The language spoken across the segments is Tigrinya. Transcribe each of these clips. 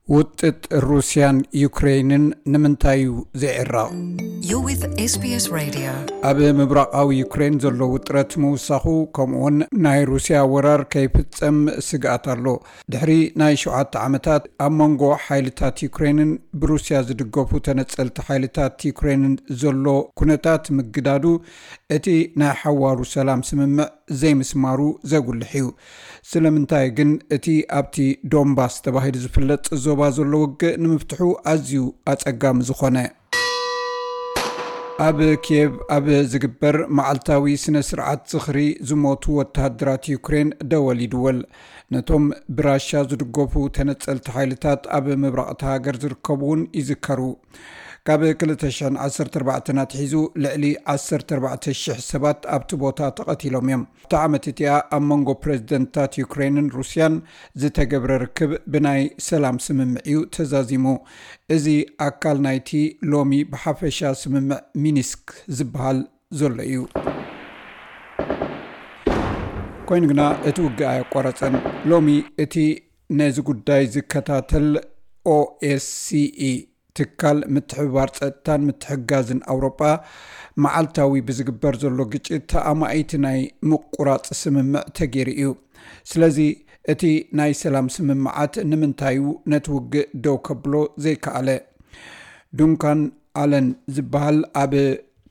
ውጥጥ ሩስያን ዩክሬንን ንምንታይ እዩ ዘይዕረቕ? You're with SBS Radio. ኣብ ምብራቓዊ ዩክሬን ዘሎ ውጥረት ምውሳኹ፣ ከምኡውን ናይ ሩስያ ወራር ከይፍጸም ስግኣት ኣሎ። ድሕሪ ናይ ሸውዓተ ዓመታት ኣብ መንጎ ሓይልታት ዩክሬንን ብሩስያ ዝድገፉ ተነጸልቲ ሓይልታት ዩክሬንን ዘሎ ኩነታት ምግዳዱ፣ እቲ ናይ ሓዋሩ ሰላም ስምምዕ ዘይምስማሩ ዘጉልሕ እዩ። ስለምንታይ ግን እቲ ኣብቲ ዶንባስ ተባሂሉ ዝፍለጥ ዞባ ዘሎ ውግእ ንምፍትሑ ኣዝዩ ኣጸጋሚ ዝኾነ? ኣብ ኪየቭ ኣብ ዝግበር መዓልታዊ ስነ ስርዓት ዝኽሪ ዝሞቱ ወተሃደራት ዩክሬን ደወል ይድወል። ነቶም ብራሻ ዝድገፉ ተነጸልቲ ሓይልታት ኣብ ምብራቕ እታ ሃገር ዝርከቡ እውን ይዝከሩ። ካብ ክልተ ሽሕን ዓሰርተ ኣርባዕተን ኣትሒዙ ልዕሊ ዓሰርተ ኣርባዕተ ሽሕ ሰባት ኣብቲ ቦታ ተቐቲሎም እዮም። ኣብታ ዓመት እቲኣ ኣብ መንጎ ፕረዚደንትታት ዩክሬንን ሩስያን ዝተገብረ ርክብ ብናይ ሰላም ስምምዕ እዩ ተዛዚሙ። እዚ ኣካል ናይቲ ሎሚ ብሓፈሻ ስምምዕ ሚኒስክ ዝበሃል ዘሎ እዩ። ኮይኑ ግና እቲ ውግእ ኣየቋረጸን። ሎሚ እቲ ነዚ ጉዳይ ዝከታተል ኦኤስሲኢ፣ ትካል ምትሕብባር ጸጥታን ምትሕጋዝን ኣውሮጳ፣ መዓልታዊ ብዝግበር ዘሎ ግጭት ኣማኢት ናይ ምቁራጽ ስምምዕ ተገይሩ እዩ። ስለዚ እቲ ናይ ሰላም ስምምዓት ንምንታይ እዩ ነቲ ውግእ ደው ከብሎ ዘይከኣለ? ዱንካን ኣለን ዝበሃል ኣብ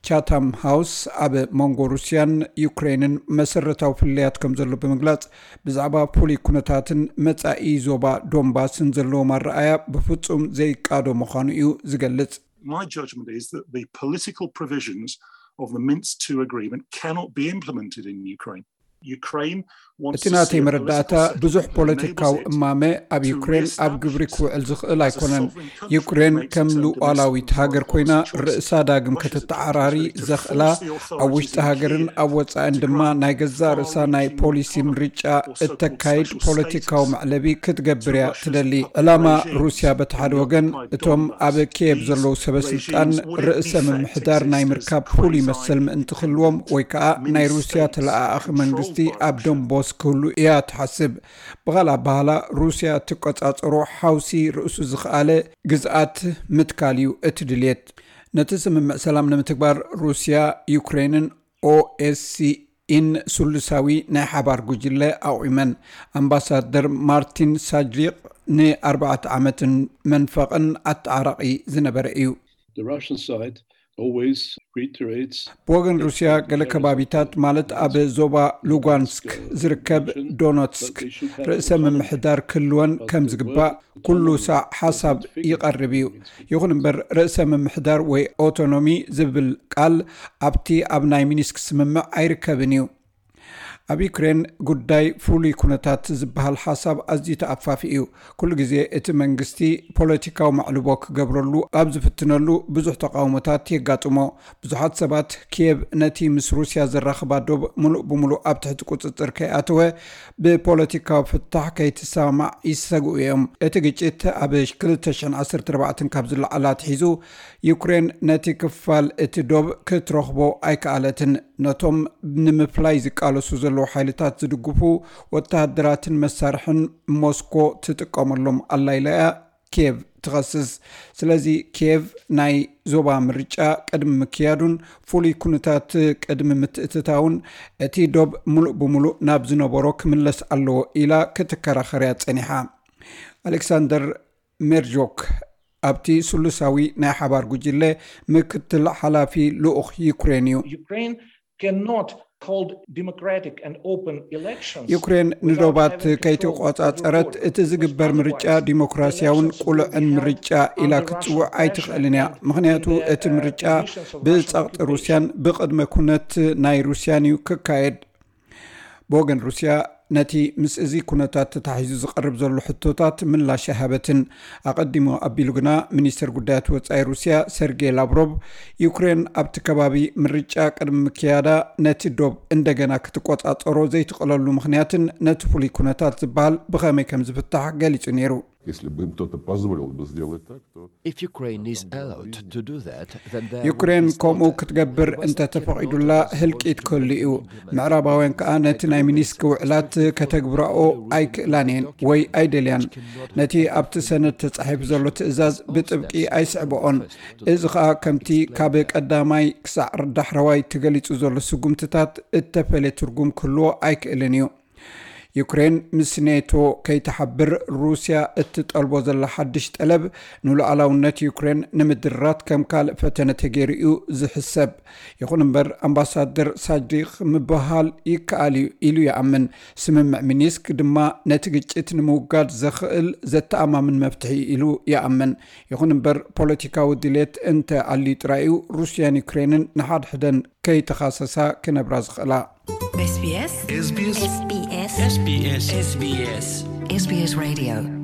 ቻታም ሃውስ ኣብ መንጎ ሩስያን ዩክሬንን መሰረታዊ ፍልልያት ከም ዘሎ ብምግላጽ፣ ብዛዕባ ፍሉይ ኩነታትን መጻኢ ዞባ ዶንባስን ዘለዎም ኣረኣያ ብፍጹም ዘይቃዶ ምዃኑ እዩ ዝገልጽ። My judgment is that the political provisions of the Minsk two agreement cannot be implemented in Ukraine. Ukraine wants እቲ to ናተይ see a መረዳእታ፣ political settlement ብዙሕ that ፖለቲካዊ enables it እማመ ኣብ to ዩክሬን ኣብ ግብሪ ክውዕል ዝኽእል ኣይኮነን። ዩክሬን ከም ሉዓላዊት ሃገር ኮይና ርእሳ ዳግም ከተተዓራሪ ዘኽእላ፣ ኣብ ውሽጢ ሃገርን ኣብ ወጻእን ድማ ናይ ገዛእ ርእሳ ናይ ፖሊሲ ምርጫ እተካይድ ፖለቲካዊ መዕለቢ ክትገብር እያ ትደሊ። ዕላማ ሩስያ በቲ ሓደ ወገን፣ እቶም ኣብ ኪየቭ ዘለዉ ሰበ ስልጣን ርእሰ ምምሕዳር ናይ ምርካብ ፍሉይ መሰል ምእንቲ ክህልዎም፣ ወይ ከኣ ናይ ሩስያ ተለኣኣኺ መንግስቲ ኣብ ዶንቦስ ክህሉ እያ ትሓስብ። ብኻልእ ኣበሃህላ፣ ሩስያ እትቆጻጸሮ ሓውሲ ርእሱ ዝኸኣለ ግዝኣት ምትካል እዩ እቲ ድልየት። ነቲ ስምምዕ ሰላም ንምትግባር ሩስያ፣ ዩክሬንን ኦኤስሲኢን ስሉሳዊ ናይ ሓባር ጉጅለ ኣቑመን። ኣምባሳደር ማርቲን ሳጅሪቕ ንኣርባዕተ ዓመትን መንፈቕን ኣተዓራቒ ዝነበረ እዩ። The Russian side always reiterates ብወገን ሩስያ፣ ገለ ከባቢታት ማለት ኣብ ዞባ ሉጋንስክ ዝርከብ ዶነትስክ ርእሰ ምምሕዳር ክህልወን ከም ዝግባእ ኩሉ ሳዕ ሓሳብ ይቐርብ እዩ። ይኹን እምበር፣ ርእሰ ምምሕዳር ወይ ኦቶኖሚ ዝብል ቃል ኣብቲ ኣብ ናይ ሚኒስክ ስምምዕ ኣይርከብን እዩ። ኣብ ዩክሬን፣ ጉዳይ ፍሉይ ኩነታት ዝበሃል ሓሳብ ኣዝዩ ተኣፋፊ እዩ። ኩሉ ግዜ እቲ መንግስቲ ፖለቲካዊ መዕልቦ ክገብረሉ ኣብ ዝፍትነሉ፣ ብዙሕ ተቃውሞታት የጋጥሞ። ብዙሓት ሰባት፣ ኪየቭ ነቲ ምስ ሩስያ ዘራኽባ ዶብ ምሉእ ብምሉእ ኣብ ትሕቲ ቁጽጽር ከይኣተወ፣ ብፖለቲካዊ ፍታሕ ከይትሰማማዕ ይሰግኡ እዮም። እቲ ግጭት ኣብ ክልተ ሽሕን ዓሰርተ ኣርባዕተን ካብ ዝለዓል ኣትሒዙ፣ ዩክሬን ነቲ ክፋል እቲ ዶብ ክትረኽቦ ኣይከኣለትን። ነቶም ንምፍላይ ዝቃለሱ ዘለዉ ሓይልታት ዝድግፉ ወተሃደራትን መሳርሕን ሞስኮ ትጥቀመሎም ኣላ ኢላ እያ ኪየቭ ትኸስስ። ስለዚ፣ ኪየቭ ናይ ዞባ ምርጫ ቅድሚ ምክያዱን ፍሉይ ኩነታት ቅድሚ ምትእትታውን፣ እቲ ዶብ ምሉእ ብምሉእ ናብ ዝነበሮ ክምለስ ኣለዎ ኢላ ክትከራኸር እያ ጸኒሓ። ኣሌክሳንደር ሜርጆክ፣ ኣብቲ ስሉሳዊ ናይ ሓባር ጉጅለ ምክትል ሓላፊ ልኡኽ ዩክሬን እዩ። Ukraine cannot hold democratic and open elections ዩክሬን ንዶባት ከይተቆጻጸረት፣ እቲ ዝግበር ምርጫ ዲሞክራሲያውን ቁሉዕን ምርጫ ኢላ ክትጽውዕ ኣይትኽእልን እያ። ምኽንያቱ፣ እቲ ምርጫ ብጸቕጢ ሩስያን ብቕድመ ኩነት ናይ ሩስያን እዩ ክካየድ። ብወገን ሩስያ፣ ነቲ ምስ እዚ ኩነታት ተታሒዙ ዝቐርብ ዘሎ ሕቶታት ምላሽ ኣይሃበትን። ኣቐዲሙ ኣቢሉ ግና፣ ሚኒስተር ጉዳያት ወጻኢ ሩስያ ሰርጌይ ላቭሮቭ፣ ዩክሬን ኣብቲ ከባቢ ምርጫ ቅድሚ ምክያዳ፣ ነቲ ዶብ እንደገና ክትቆጻጸሮ ዘይትኽእለሉ ምኽንያትን ነቲ ፍሉይ ኩነታት ዝበሃል ብኸመይ ከም ዝፍታሕ ገሊጹ ነይሩ። Если бы им кто-то позволил бы сделать так, то If Ukraine is allowed to do that, then there ዩክሬን ከምኡ ክትገብር እንተተፈቒዱላ ህልቂት ክህሉ እዩ። ምዕራባውያን ከኣ ነቲ ናይ ሚኒስክ ውዕላት ከተግብራኦ ኣይክእላን እየን ወይ ኣይደልያን። ነቲ ኣብቲ ሰነድ ተጻሒፉ ዘሎ ትእዛዝ ብጥብቂ ኣይስዕብኦን። እዚ ከኣ ከምቲ ካብ ቀዳማይ ክሳዕ ዳሕረዋይ ተገሊጹ ዘሎ ስጉምትታት እተፈለየ ትርጉም ክህልዎ ኣይክእልን እዩ። ዩክሬን ምስ ኔቶ ከይትሓብር ሩስያ እትጠልቦ ዘላ ሓድሽ ጠለብ ንሉዓላውነት ዩክሬን ንምድራት ከም ካልእ ፈተነ ተገይሩ እዩ ዝሕሰብ። ይኹን እምበር ኣምባሳደር ሳዲቅ ምብሃል ይከኣል እዩ ኢሉ ይኣምን። ስምምዕ ሚኒስክ ድማ ነቲ ግጭት ንምውጋድ ዘኽእል ዘተኣማምን መፍትሒ ኢሉ ይኣምን። ይኹን እምበር ፖለቲካዊ ድሌት እንተ ኣልዩ ጥራይ እዩ ሩስያን ዩክሬንን ንሓድሕደን ከይተኻሰሳ ክነብራ ዝኽእላ። SBS SBS SBS SBS SBS Radio